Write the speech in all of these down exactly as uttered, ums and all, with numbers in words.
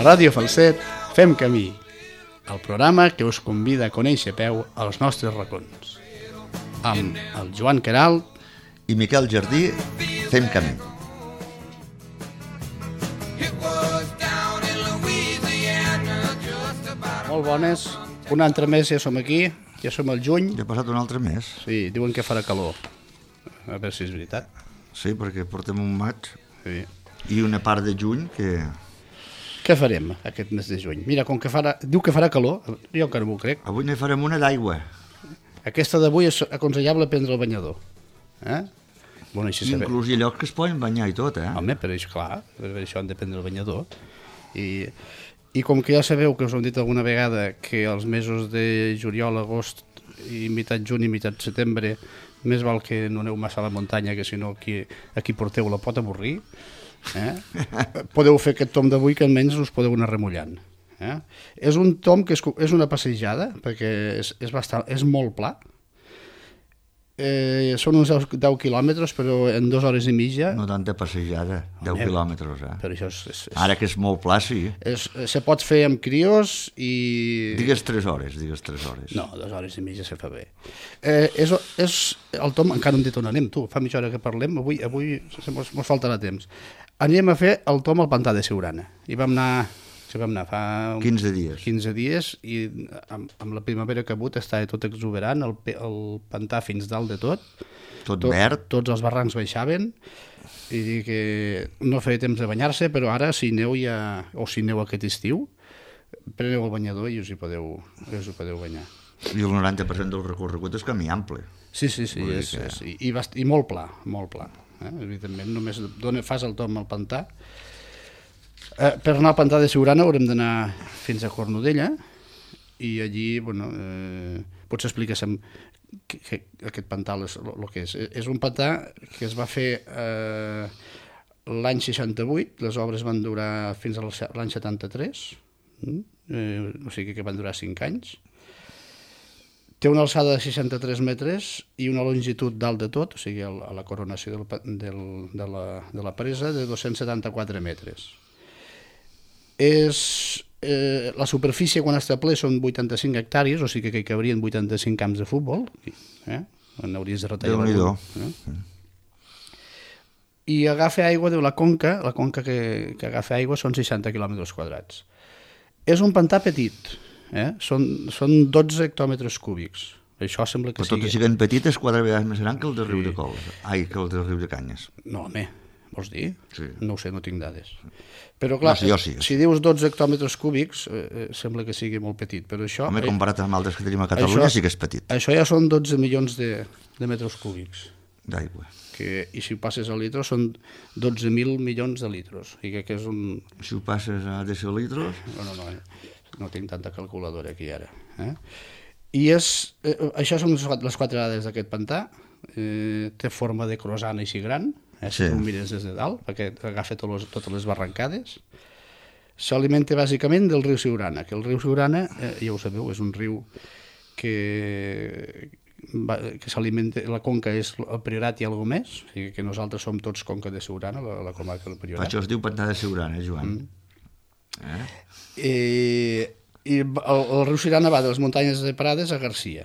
A Ràdio Falset fem camí, el programa que us convida a conèixer a peu als nostres racons. Amb el Joan Queralt i Miquel Jardí fem camí. Molt bones, un altre mes ja som aquí, ja som al juny. Ja ha passat un altre mes. Sí, diuen que farà calor, a veure si és veritat. Sí, perquè portem un maig Sí. i una part de juny que... Què farem aquest mes de juny? Mira, com que farà, diu que farà calor, jo encara m'ho crec. Avui ne farem una d'aigua. Aquesta d'avui és aconsellable prendre el banyador. Eh? Bueno, així saber. Inclús hi ha llocs que es poden banyar i tot, eh? Home, per això, clar, per això han de prendre el banyador. I, I com que ja sabeu que us ho hem dit alguna vegada que els mesos de juliol, agost i meitat juny i meitat setembre més val que no aneu massa a la muntanya, que si no aquí, aquí porteu la pot avorrir. Eh? Podeu fer aquest tom d'avui que almenys us podeu anar remullant. Eh? És un tom que és, és una passejada, perquè és, és, bastant, és molt pla. Eh, són uns deu quilòmetres, però en dues hores i mitja. No tanta passejada, deu Home, quilòmetres, eh? Però això és, és, és, Ara que és molt pla, sí. és, se pot fer amb crios i... Digues tres hores, digues tres hores. No, dues hores i mitja se fa bé. Eh, és, és el tom, encara no hem dit on anem, tu, fa mitja hora que parlem, avui, avui mos, mos faltarà temps. Anem a fer el tom al pantà de Siurana. I vam anar, sí, vam anar fa... quinze dies. quinze dies, i amb, amb la primavera que ha hagut estava tot exuberant, el, el pantà fins dalt de tot. Tot, tot verd. Tots els barrancs baixaven, i dir que no feia temps de banyar-se, però ara si aneu ja, o si aneu aquest estiu, preneu el banyador i us hi podeu, us hi podeu banyar. I el noranta per cent del recorregut és camí ample. Sí, sí, sí, és, que... és, i, i, bast... i molt pla, molt pla. Eh? Evidentment, només dona, fas el tom al pantà. Eh, per anar al pantà de Siurana haurem d'anar fins a Cornudella i allí, bueno, eh, pots explicar-se'm que, que aquest pantà és el que és. És un pantà que es va fer eh, l'any seixanta-vuit, les obres van durar fins a l'any setanta-tres, eh, o sigui que van durar cinc anys. Té una alçada de seixanta-tres metres i una longitud dalt de tot, o sigui, a la coronació del, del, de, la, de la presa, de dos-cents setanta-quatre metres. És, eh, la superfície quan està ple són vuitanta-cinc hectàrees, o sigui que hi cabrien vuitanta-cinc camps de futbol, eh? On hauries de retallar algun, eh? I agafa aigua de la conca, la conca que, que agafa aigua són seixanta quilòmetres quadrats. És un pantà petit, eh? són, són dotze hectòmetres cúbics. Això sembla que però sigui... tot i sent petit és quatre vegades més gran que el de Riu de Cols. Ai, que el de Riu de Canyes. No, home, vols dir? Sí. No ho sé, no tinc dades. Però clar, no, sí, sí, sí. Si dius dotze hectòmetres cúbics, eh, sembla que sigui molt petit, però això... Home, comparat amb altres que tenim a Catalunya, això, sí que és petit. Això ja són dotze milions de, de metres cúbics. D'aigua. Que, I si ho passes a litros són dotze mil milions de litros. I que, que és un... Si ho passes a decilitros... No, no, no, no tinc tanta calculadora aquí ara. Eh? I és, eh, això són les quatre dades d'aquest pantà. Eh, té forma de croissant així gran, eh, si sí. Tu mires des de dalt, perquè agafa totes, totes les barrancades. S'alimenta bàsicament del riu Siurana, que el riu Siurana, eh, ja ho sabeu, és un riu que, que s'alimenta, la conca és el Priorat i alguna més, o sigui que nosaltres som tots conca de Siurana, la, la comarca del Priorat. Per això es diu pantà de Siurana, Joan. Mm. Eh? I, i el, el riu Siurana va de les muntanyes de Prades a Garcia.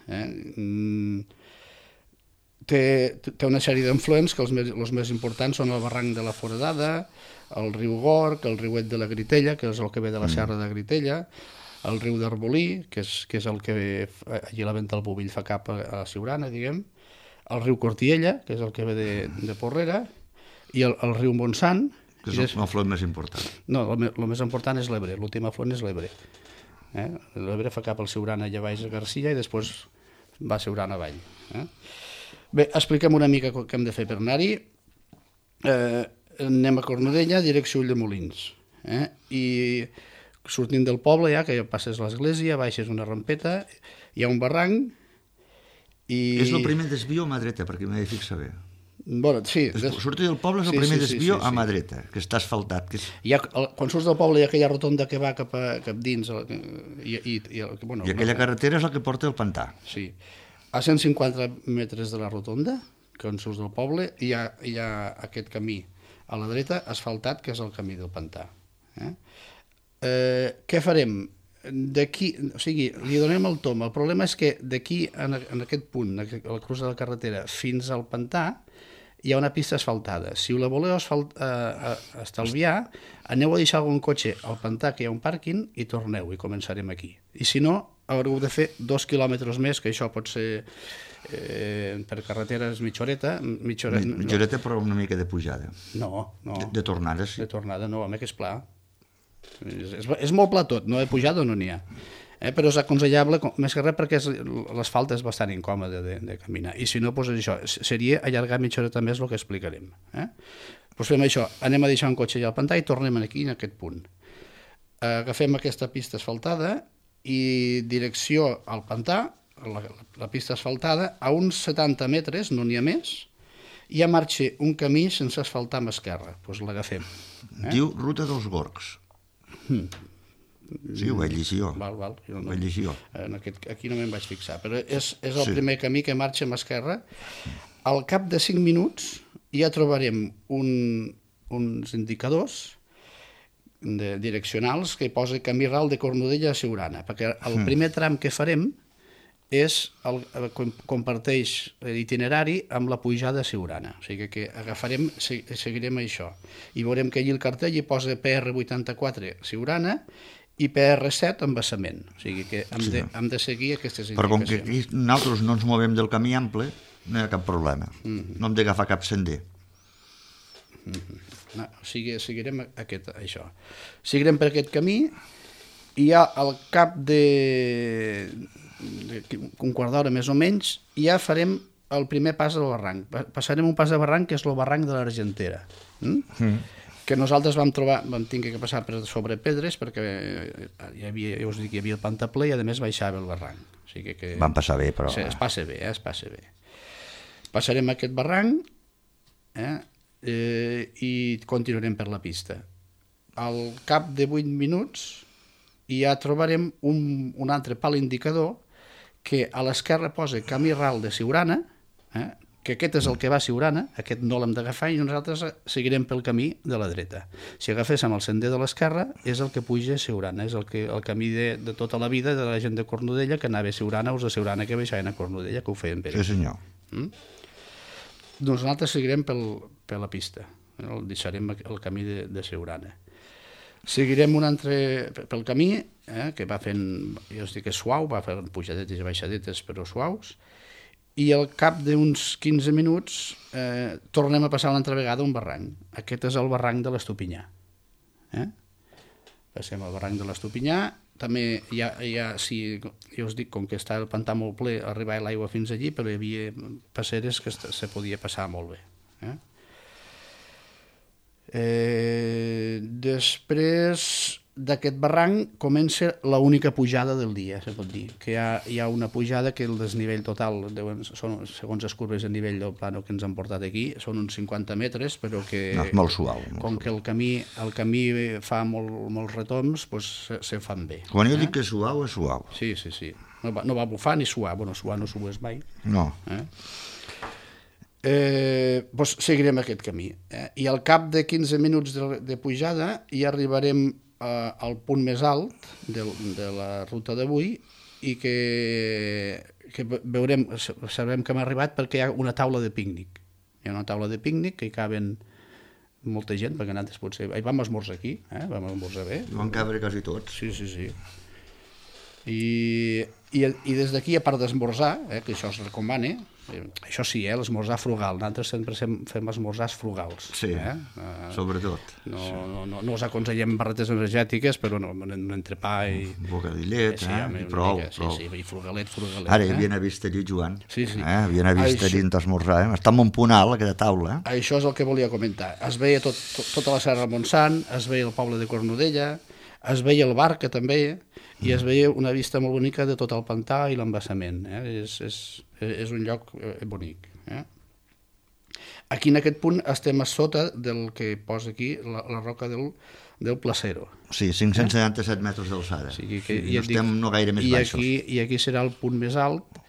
Eh? Té, té una sèrie d'influents que els més, els més importants són el barranc de la Foradada, el riu Gorg, el riuet de la Gritella, que és el que ve de la serra de Gritella, el riu d'Arbolí, que és, que és el que ve, allí la venta del Bovill fa cap a, a Siurana, diguem, el riu Cortiella, que és el que ve de, de Porrera, i el, el riu Montsant, que és l'afluent més important. No, el, el més important és l'Ebre, l'últim afluent és l'Ebre. Eh? L'Ebre fa cap al Siurana i a baix a Garcia i després va a Siurana avall. Eh? Bé, expliquem una mica què hem de fer per anar-hi. Eh, anem a Cornudella, direcció Ulldemolins. Eh? I sortint del poble, ja que ja passes l'església, baixes una rampeta, hi ha un barranc i... És el primer desvio a mà dreta, perquè m'he de fixar bé. Bueno, sí. Des... Sortir del poble és el sí, primer sí, desvio sí, sí, sí. a mà dreta, que està asfaltat. Que és... Ha, el, quan surts del poble hi ha aquella rotonda que va cap, a, cap dins. El, i, i, i, el, bueno, I aquella no, carretera és la que porta el pantà. Sí. A cent cinquanta metres de la rotonda, quan surts del poble, hi ha, hi ha aquest camí a la dreta asfaltat, que és el camí del pantà. Eh? Eh, què farem? D'aquí, o sigui, li donem el tom. El problema és que d'aquí, en, en aquest punt, a la cruz de la carretera, fins al pantà, hi ha una pista asfaltada. Si la voleu asfalt, eh, estalviar, aneu a deixar algun cotxe al pantà, que hi ha un pàrquing, i torneu, i començarem aquí. I si no, haureu de fer dos quilòmetres més, que això pot ser eh, per carreteres mitja horeta. Mitja horeta, mitja horeta, però una mica de pujada. No, no. De, de tornada, sí. De tornada, no, home, que és pla. És, és, és molt pla tot, no de pujada no n'hi ha. Eh, però és aconsellable, més que res perquè l'asfalt és bastant incòmode de, de caminar. I si no, doncs això, seria allargar mitja horeta més el que explicarem. Eh? Doncs fem això, anem a deixar un cotxe allà al pantà i tornem aquí, en aquest punt. Agafem aquesta pista asfaltada i direcció al pantà, la, la pista asfaltada, a uns setanta metres, no n'hi ha més, i ja marxa un camí sense asfaltar amb esquerra. Doncs l'agafem. Eh? Diu Ruta dels Gorgs. Hmm. Sí, ho vaig llegir jo. Val, val. Jo no, ho vaig llegir jo. En aquest, aquí no me'n vaig fixar, però és, és el sí. primer camí que marxa amb esquerra. Al cap de cinc minuts ja trobarem un, uns indicadors de, direccionals que hi posa camí ral de Cornudella a Siurana, perquè el mm. primer tram que farem és el, comparteix l'itinerari amb la pujada a Siurana. O sigui que agafarem, seguirem això. I veurem que allí el cartell hi posa P R vuitanta-quatre Siurana i P R set embassament. O sigui que hem, sí. de, hem de seguir aquestes indicacions. Però com que aquí nosaltres no ens movem del camí ample, no hi ha cap problema. Mm-hmm. No hem d'agafar cap sender. Mm-hmm. No, o sigui, seguirem aquest, això. Seguirem per aquest camí i ja al cap de, de un quart d'hora més o menys ja farem el primer pas del barranc. Passarem un pas de barranc que és el barranc de l'Argentera. Mm? Mm. Que nosaltres vam trobar, vam tenir que passar per sobre pedres perquè hi havia, ja us dic, hi havia el pantà-ple i a més baixava el barranc. O sigui que vam passar bé, però... Sí, es passa bé, eh, es passa bé. Passarem aquest barranc eh, eh, i continuarem per la pista. Al cap de vuit minuts ja trobarem un, un altre pal indicador que a l'esquerra posa camí ral de Siurana, eh, que aquest és el que va a Siurana, aquest no l'hem d'agafar i nosaltres seguirem pel camí de la dreta. Si agaféssim el sender de l'esquerra, és el que puja a Siurana, és el, que, el camí de, de tota la vida de la gent de Cornudella que anava a Siurana o a Siurana que baixaven a Cornudella, que ho feien bé. Sí, senyor. Mm? Doncs nosaltres seguirem pel, per la pista, el deixarem el camí de, de Siurana. Seguirem un altre pel camí, eh, que va fent, jo us dic que és suau, va fent pujadetes i baixadetes però suaus, i al cap d'uns quinze minuts eh, tornem a passar una altra vegada un barranc. Aquest és el barranc de l'Estopinyà. Eh? Passem al barranc de l'Estopinyà. També hi ha, hi ha si, jo us dic, com que està el pantà molt ple, arribava l'aigua fins allí, però hi havia passeres que se podia passar molt bé. Eh? Eh, després d'aquest barranc comença l'única pujada del dia, se pot dir, que hi ha, hi ha una pujada que el desnivell total, deuen, són, segons les curves de nivell del plano que ens han portat aquí, són uns cinquanta metres, però que no, és molt suau. Molt com suau. Que el camí, el camí fa molt, molts retoms, doncs se, se fan bé. Quan jo eh? dic que és suau, és suau. Sí, sí, sí. No va, no va bufar ni suar, bueno, suar no sues mai. No. Eh? Eh, doncs seguirem aquest camí. Eh? I al cap de quinze minuts de, de pujada ja arribarem eh, al punt més alt de, de la ruta d'avui i que, que veurem, sabrem que hem arribat perquè hi ha una taula de pícnic. Hi ha una taula de pícnic que hi caben molta gent, perquè nosaltres potser... Hi vam esmorzar aquí, eh? Vam esmorzar bé. Hi van cabre quasi tots. Sí, sí, sí. I, i, i des d'aquí, a part d'esmorzar, eh, que això es recomana, eh, això sí, eh, l'esmorzar frugal, nosaltres sempre fem, fem esmorzars frugals. Sí, eh? uh, sobretot. No, sí. no, no, no us aconsellem barretes energètiques, però no, un entrepà i... Un bocadillet, eh? Sí, eh? I prou, mica, prou. Sí, sí, i frugalet, frugalet. Ara hi havia eh? vist allí, Joan. Sí, sí. Eh? Havia vist allí en t'esmorzar, eh? Està en un punt alt, aquesta taula. Eh? Això és el que volia comentar. Es veia tot, tot, tota la Serra de Montsant, es veia el poble de Cornudella, es veia el Barca també, i es veia una vista molt bonica de tot el pantà i l'embassament. Eh? És, és, és un lloc bonic. Eh? Aquí en aquest punt estem a sota del que posa aquí la, la roca del, del Placero. Sí, cinc-cents setanta-set eh? metres d'alçada. O sigui que, sí, no dic, estem no gaire més i baixos. aquí, I aquí serà el punt més alt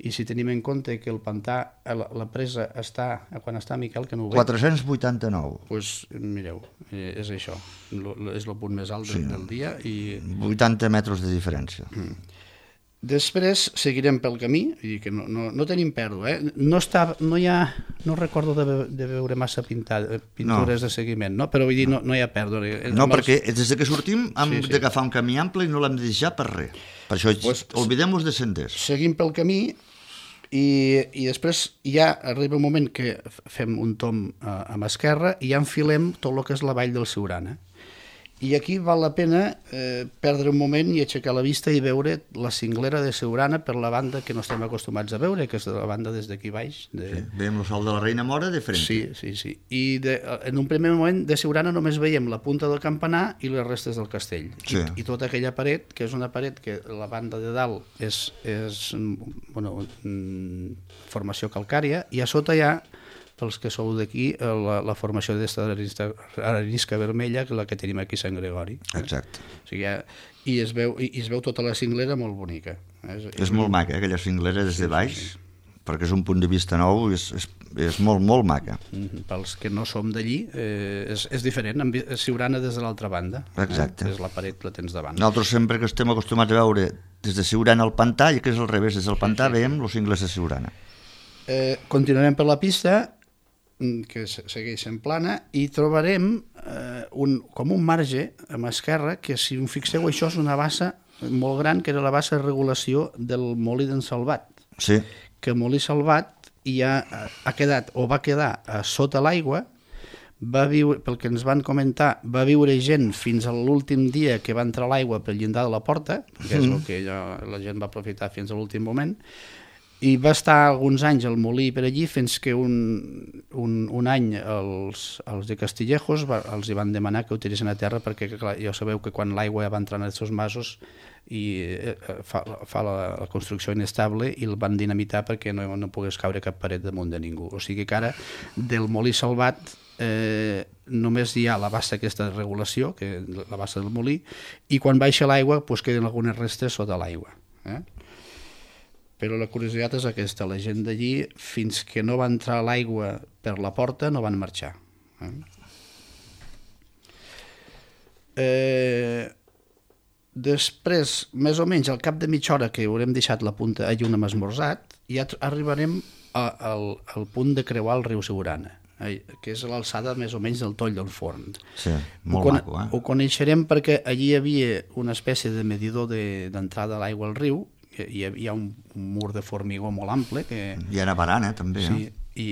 i si tenim en compte que el pantà, la, la presa està, quan està Miquel, que no ho veig... quatre-cents vuitanta-nou. Doncs pues, mireu, és això, lo, lo, és el punt més alt del, sí. del dia. I... vuitanta metres de diferència. Mm. Després seguirem pel camí, vull dir que no, no, no tenim pèrdua, eh? No, està, no hi ha, no recordo de, de veure massa pintada, pintures no. de seguiment, no? Però vull dir, no, no hi ha pèrdua. No, els... perquè des que sortim hem sí, sí. d'agafar un camí ample i no l'hem de deixar per res. Per això pues, oblidem-nos de senders. Seguim pel camí i, i després ja arriba un moment que fem un tom a, a mà esquerra i ja enfilem tot el que és la vall del Siurana. I aquí val la pena eh, perdre un moment i aixecar la vista i veure la cinglera de Siurana per la banda que no estem acostumats a veure, que és la banda des d'aquí baix. De... Sí, veiem el sol de la Reina Mora de frente. Sí, sí, sí. I de, en un primer moment de Siurana només veiem la punta del campanar i les restes del castell. Sí. I, I tota aquella paret, que és una paret que la banda de dalt és, és bueno, formació calcària, i a sota hi ha, pels que sou d'aquí, la, la formació d'esta arenisca vermella, que la que tenim aquí a Sant Gregori. Exacte. O sigui, ja, i, es veu, i, i es veu tota la cinglera molt bonica. És, és, és molt maca, eh, aquella cinglera des de baix, sí, sí. perquè és un punt de vista nou, és, és, és molt, molt maca. Mm-hmm. Pels que no som d'allí, eh, és, és diferent, és Siurana des de l'altra banda. Exacte. Eh? És la paret, la tens davant. Nosaltres sempre que estem acostumats a veure des de Siurana al pantà, i que és al revés, des del pantà sí, sí. veiem els cingles de Siurana. Eh, continuarem per la pista, que segueix en plana, i trobarem eh, un, com un marge a mà esquerra, que si us fixeu això és una bassa molt gran, que era la bassa de regulació del molí d'en Salvat. Sí. Que el molí Salvat ja ha quedat, o va quedar a sota l'aigua, va viure, pel que ens van comentar, va viure gent fins a l'últim dia que va entrar l'aigua pel llindar de la porta, que és el que ja, la gent va aprofitar fins a l'últim moment, i va estar alguns anys al molí per allí fins que un, un, un any els, els de Castillejos va, els hi van demanar que utilitzen a terra perquè clar, ja sabeu que quan l'aigua va entrar en aquests masos i eh, fa, fa la, la construcció inestable i el van dinamitar perquè no, no pogués caure cap paret damunt de ningú. O sigui que ara del molí Salvat eh, només hi ha la bassa aquesta de regulació, que la bassa del molí, i quan baixa l'aigua pues, queden algunes restes sota l'aigua. Eh? Però la curiositat és aquesta, la gent d'allí, fins que no va entrar l'aigua per la porta, no van marxar. Eh? Eh, després, més o menys, al cap de mitja hora que haurem deixat la punta allí on hem esmorzat, ja arribarem a, al, al punt de creuar el riu Siurana, eh, que és l'alçada més o menys del toll del forn. Sí, molt ho maco, eh? Ho coneixerem perquè allí hi havia una espècie de medidor d'entrada de, a l'aigua al riu, hi ha un mur de formigó molt ample que... I era barana també, sí, eh? I,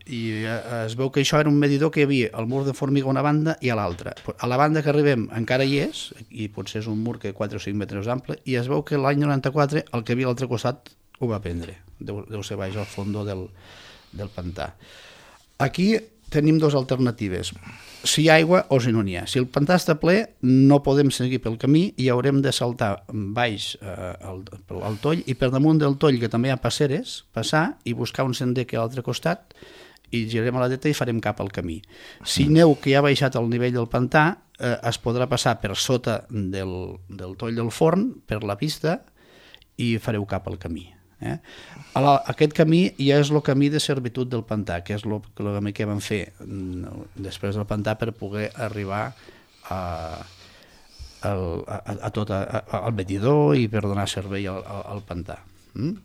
i es veu que això era un medidor que hi havia el mur de formigó a una banda i a l'altra. A la banda que arribem encara hi és, i potser és un mur que quatre o cinc metres ample, i es veu que l'any noranta-quatre el que havia a l'altre costat ho va prendre, deu, deu ser baix al fons del, del pantà. Aquí tenim dues alternatives, si hi ha aigua o si no n'hi ha. Si el pantà està ple, no podem seguir pel camí i haurem de saltar baix eh, al, al toll, i per damunt del toll, que també hi ha passeres, passar i buscar un sender que a l'altre costat, i girarem a la dreta i farem cap al camí. Si neu que ja ha baixat al nivell del pantà, eh, es podrà passar per sota del, del toll del forn, per la pista, i fareu cap al camí. Eh? Aquest camí ja és el camí de servitud del pantà, que és el camí que vam fer després del pantà per poder arribar a, a, a, a tot a, a, al medidor i per donar servei al, al pantà. Mm?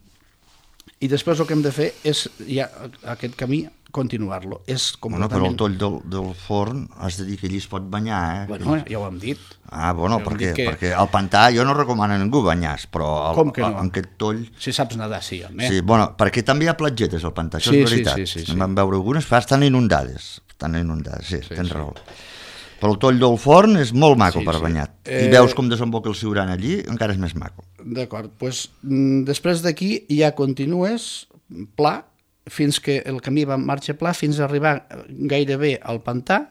I després el que hem de fer és ja aquest camí continuar-lo. És bueno, però el toll del, del forn has de dir que allí es pot banyar, eh? Bueno, ja ho hem dit. Ah, bueno, perquè, que... perquè al pantà jo no recomano a ningú banyar-se, però el, com que no? En aquest toll... Si saps nedar, sí, home. Sí, bueno, perquè també hi ha platgetes al pantà, això sí, és veritat. Sí, sí, sí, sí. En vam veure algunes, però estan inundades. Estan inundades, sí, sí tens sí. raó. Però el toll del forn és molt maco sí, per sí. banyar. I eh... veus com desemboca el Siurana allí, encara és més maco. D'acord, doncs després d'aquí ja continues pla, fins que el camí va en marxa pla, fins a arribar gairebé al pantà,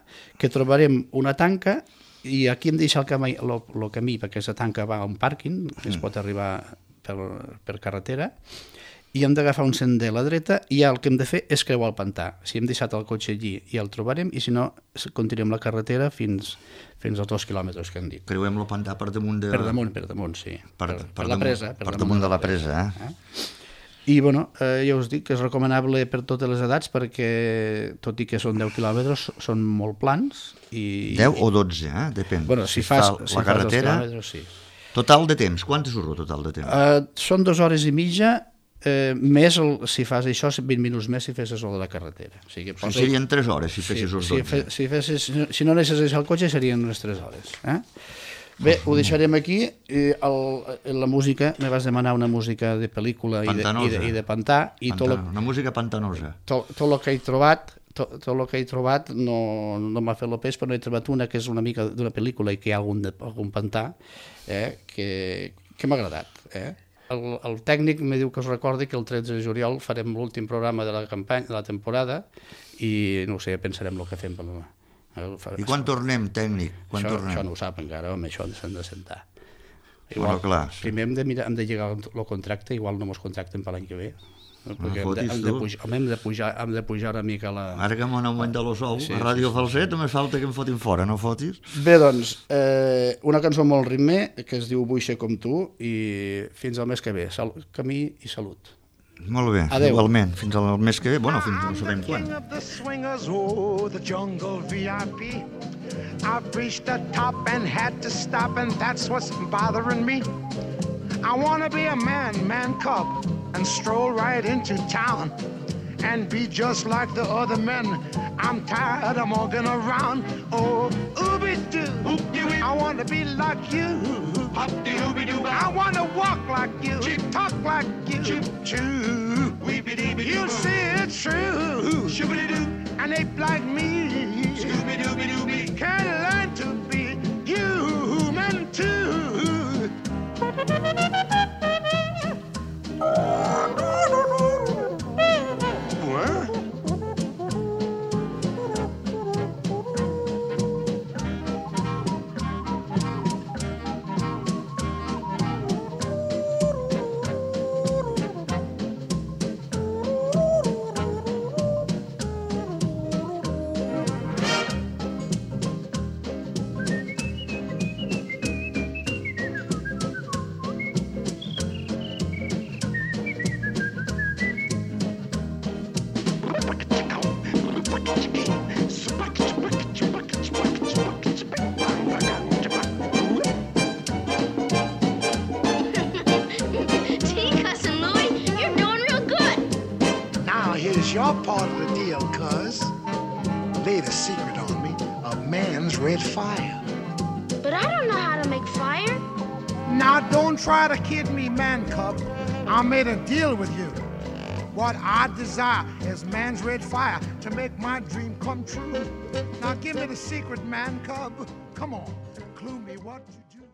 que trobarem una tanca, i aquí hem deixat el camí, el, el camí perquè aquesta tanca va a un pàrquing, que es pot arribar per, per carretera, i hem d'agafar un sender a la dreta, i ja el que hem de fer és creuar el pantà. Si hem deixat el cotxe allí, ja el trobarem, i si no, continuem la carretera fins, fins als dos quilòmetres que hem dit. Creuem el pantà per damunt de... Per damunt, per damunt, sí. Per, per, per, per damunt, la presa. Per, per damunt de la presa, eh? eh? I, bueno, eh, ja us dic que és recomanable per totes les edats perquè, tot i que són deu quilòmetres, són molt plans. I, deu o dotze, eh? Depèn. Bueno, si, si fas, fa la si carretera... Fas sí. Total de temps, quant és el total de temps? Uh, són dues hores i mitja, eh, més el, si fas això, vint minuts més si fessis el de la carretera. O sigui, posa... sí, serien tres hores si fessis sí, els dotze. Si, fe, si, fessis, si no anessis al cotxe serien unes tres hores. Eh? Bé, ho deixarem aquí. El, la música, me vas demanar una música de pel·lícula i de, i, de, i de pantà. I tot lo, una música pantanosa. Tot, tot el que he trobat, tot, tot el que he trobat no, no m'ha fet el pes, però no he trobat una que és una mica d'una pel·lícula i que hi ha algun, algun pantà eh, que, que m'ha agradat. Eh? El, el tècnic me diu que us recordi que el tretze de juliol farem l'últim programa de la campanya, de la temporada, i no ho sé, pensarem el que fem per demà. I quan tornem, tècnic? Quan això, tornem? això no ho sap encara, home, això s'han de sentar. Igual, bueno, clar. Primer hem de, mirar, hem de llegar el contracte, igual no mos contracten per l'any que ve. No, perquè no hem, de, hem, de pujar, hem, de pujar, hem de pujar una mica la... Ara que m'han augmentat el sou, sí, a Ràdio sí, Falset, sí. Només falta que em fotin fora, no fotis? Bé, doncs, eh, una cançó molt ritme, que es diu Vull ser com tu, i fins al mes que ve. Sal, camí i salut. Molt bé, adeu. Igualment, fins al mes que ve, bueno, fins no sabem quan. Oh, the jungle V I P. I've reached the top and had to stop, and that's what's bothering me. I wanna be a man, man cub, and stroll right into town and be just like the other men. I'm tired of walking around. Oh, ooby-doo, I wanna be like you. I wanna walk like you, talk like you, choo. You see it's true, an ape like me can learn to be human too. Your part of the deal, cuz. Laid a secret on me, a man's red fire. But I don't know how to make fire. Now don't try to kid me, man cub. I made a deal with you. What I desire is man's red fire to make my dream come true. Now give me the secret, man cub. Come on, clue me what you do.